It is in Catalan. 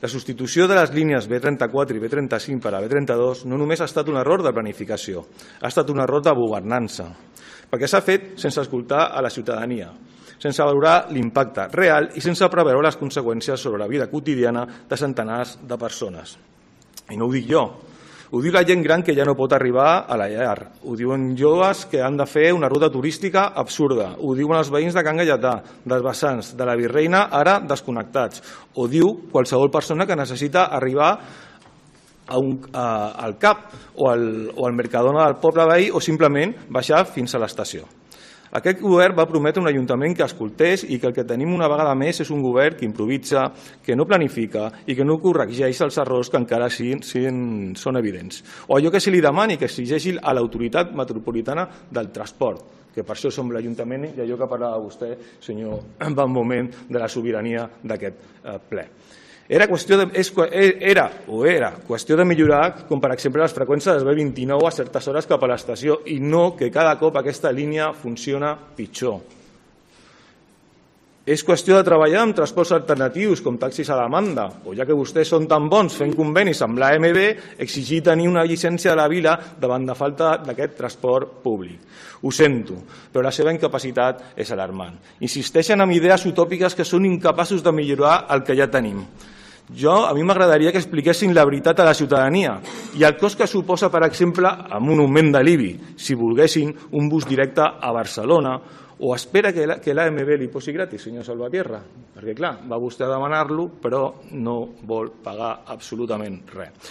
La substitució de les línies B34 i B35 per a B32 no només ha estat un error de planificació, ha estat un error de governança, perquè s'ha fet sense escoltar a la ciutadania, sense valorar l'impacte real i sense preveure les conseqüències sobre la vida quotidiana de centenars de persones. I no ho dic jo, ho diu la gent gran que ja no pot arribar a la llar, ho diuen joves que han de fer una ruta turística absurda, ho diuen els veïns de Can Gaietà, dels Vessants, de la Virreina, ara desconnectats, ho diu qualsevol persona que necessita arribar al CAP o al Mercadona del poble veí o simplement baixar fins a l'estació. Aquest govern va prometre un ajuntament que escoltés i que el que tenim una vegada més és un govern que improvisa, que no planifica i que no corregeix els errors que encara són evidents. O allò que se li demani, que exigeixi a l'autoritat metropolitana del transport, que per això som l'Ajuntament i allò que parlava vostè, senyor Van Moment, de la sobirania d'aquest ple. Era qüestió de millorar, com per exemple les freqüències del B29 a certes hores cap a l'estació i no que cada cop aquesta línia funciona pitjor. És qüestió de treballar amb transports alternatius com taxis a demanda o, ja que vostès són tan bons fent convenis amb l'AMB, exigir tenir una llicència de la vila davant de falta d'aquest transport públic. Ho sento, però la seva incapacitat és alarmant. Insisteixen en idees utòpiques que són incapaços de millorar el que ja tenim. A mi m'agradaria que expliquessin la veritat a la ciutadania i el cost que suposa, per exemple, amb un augment de l'IBI, si volguessin un bus directe a Barcelona, o espera que l'AMB li posi gratis, senyor Salvatierra? Perquè, clar, va vostè a demanar-lo, però no vol pagar absolutament res.